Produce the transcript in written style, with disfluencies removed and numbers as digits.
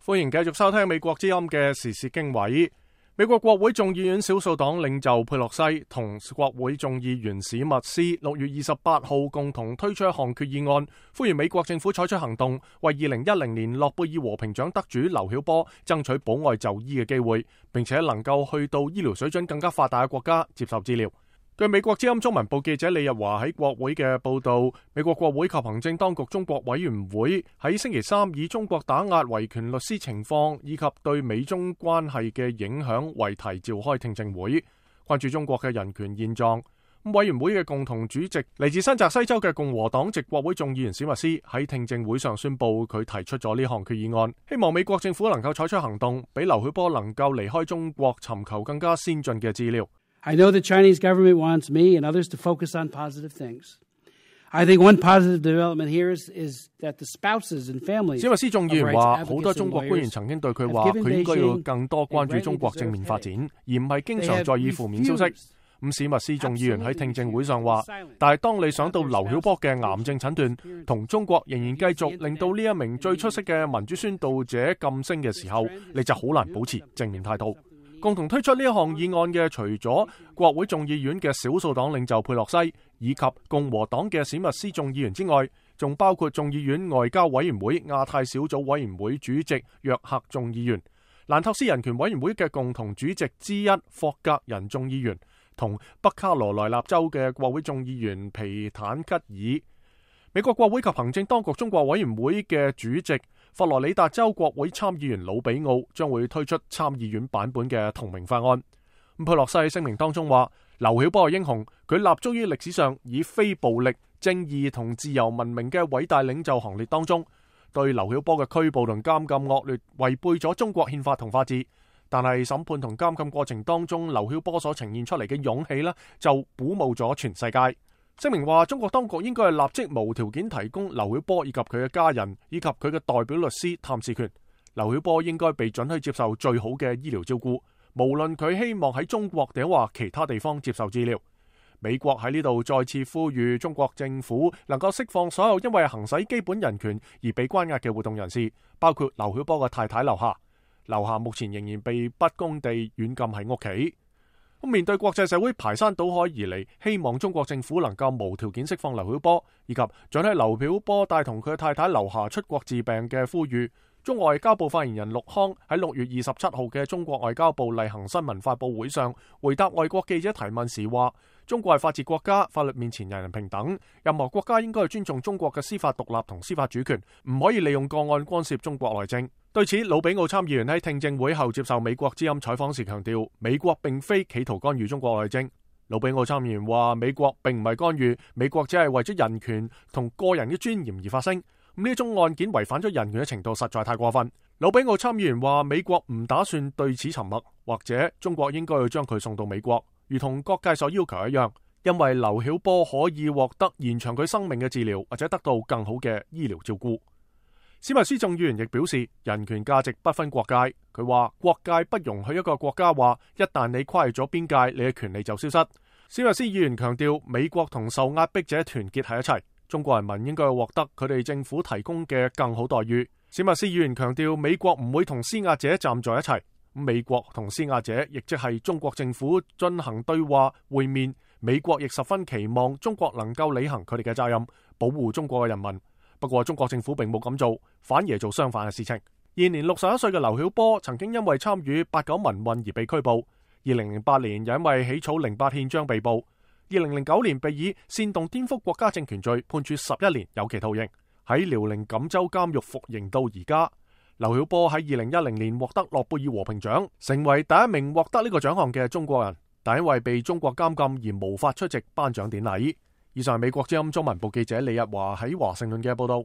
歡迎繼續收聽美國之音嘅時事經緯。美國國會眾議院少數黨領袖佩洛西同國會眾議員史密斯6月28號共同推出一項決議案，呼籲美國政府採取行動，為2010年諾貝爾和平獎得主劉曉波爭取保外就醫嘅機會，並且能夠去到醫療水準更加發達嘅國家接受治療。據美國之音中文部記者李日華喺國會嘅報道，美國國會及行政當局中國委員會喺星期三以中國打壓維權律師情況以及對美中關係嘅影響為題召開聽證會，關注中國嘅人權現狀。委員會嘅共同主席嚟自新澤西州嘅共和黨籍國會眾議員史密斯喺聽證會上宣布，佢提出咗呢項決議案，希望美國政府能夠採取行動，俾劉曉波能夠離開中國，尋求更加先進嘅治療。I know the Chinese government wants me and others to focus on positive things. I think one positive development here is that the spouses and families. 史密斯眾議員話，好多中國官員曾經對佢話，佢應該要更多關注中國正面發展，而唔係經常在意負面消息。史密斯眾議員喺聽證會上話，但係當你想到劉曉波嘅癌症診斷同中國仍然繼續令到呢一名最出色嘅民主宣導者噤聲嘅時候，你就好難保持正面態度。共同推出呢一項議案嘅，除咗國會眾議院嘅少數黨領袖佩洛西以及共和黨嘅史密斯眾議員之外，仲包括眾議院外交委員會亞太小組委員會主席約克眾議員、蘭托斯人權委員會嘅共同主席之一霍格人眾議員，同北卡羅來納州嘅國會眾議員皮坦吉爾。美國國會及行政當局中國委員會嘅主席佛羅里達州國會參議員魯比奧將會推出參議院版本嘅同名法案。佩洛西喺聲明當中話，劉曉波係英雄，佢立足於歷史上以非暴力、正義同自由聞名嘅偉大領袖行列當中。對劉曉波嘅拘捕同監禁惡劣，違背咗中國憲法同法治。但係審判同監禁過程當中，劉曉波所呈現出嚟嘅勇氣呢，就鼓舞咗全世界。聲明話，中國當局應該係立即無條件提供劉曉波以及佢嘅家人以及佢嘅代表律師探視權。劉曉波應該被准許接受最好嘅醫療照顧，無論佢希望喺中國定或其他地方接受治療。美國喺呢度再次呼籲中國政府能夠釋放所有因為行使基本人權而被關押嘅活動人士，包括劉曉波嘅太太劉夏。劉夏目前仍然被不公地軟禁喺屋企。面對國際社會排山倒海而嚟，希望中國政府能夠無條件釋放劉曉波，以及准許劉曉波帶同佢嘅太太劉夏出國治病嘅呼籲，中外交部發言人陸康喺6月27號嘅中國外交部例行新聞發佈會上回答外國記者提問時話，中國係法治國家，法律面前人人平等，任何國家應該尊重中國嘅司法獨立同司法主權，唔可以利用個案干涉中國內政。對此，魯比奧參議員喺聽證會後接受美國之音採訪時強調，美國並非企圖干預中國內政。魯比奧參議員話，美國並唔係干預，美國只係為咗人權同個人嘅尊嚴而發聲。呢種案件違反咗人權嘅程度實在太過分。魯比奧參議員話，美國唔打算對此沉默，或者中國應該要將佢送到美國，如同各界所要求一樣，因為劉曉波可以獲得延長佢生命嘅治療，或者得到更好嘅醫療照顧。史密斯眾議員亦表示，人權價值不分國界。佢話，國界不容許一個國家話，一旦你跨越咗邊界，你嘅權利就消失。史密斯議員強調，美國同受壓迫者團結喺一齊，中國人民應該獲得佢哋政府提供嘅更好待遇。史密斯議員強調，美國唔會同施壓者站在一齊，美國同施壓者亦即係中國政府進行對話會面，美國亦十分期望中國能夠履行佢哋嘅責任，保護中國嘅人民。不過中國政府並冇咁做，反而做相反嘅事情。現年61歲嘅劉曉波曾經因為參與89民運而被拘捕，2008年又因為起草08憲章被捕，2009年被以煽動顛覆國家政權罪判處11年有期徒刑，喺遼寧錦州監獄服刑到而家。劉曉波喺2010年獲得諾貝爾和平獎，成為第一名獲得呢個獎項嘅中國人，但因為被中國監禁而無法出席頒獎典禮。以上係美國之音中文部記者李日華喺華盛頓嘅報道。